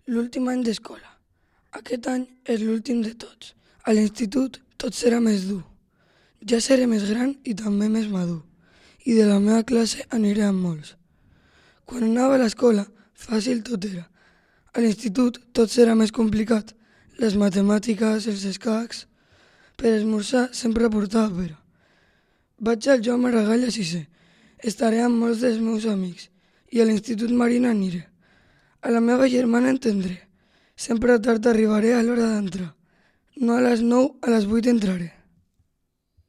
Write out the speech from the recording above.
L'últim any d'escola. Aquest any és l'últim de tots. A l'institut tot serà més dur. Ja seré més gran i també més madur. I de la meva classe aniré amb molts. Quan anava a l'escola, fàcil tot era. A l'institut tot serà més complicat. Les matemàtiques, els escacs. Per esmorzar sempre portava pera. Vaig al Joan Maragall a sisè. Estaré amb molts dels meus amics. I a l'Institut Marina aniré. A la meva germana entendré. Sempre tard arribaré a l'hora d'entrar. No a les 9, a les 8 entraré.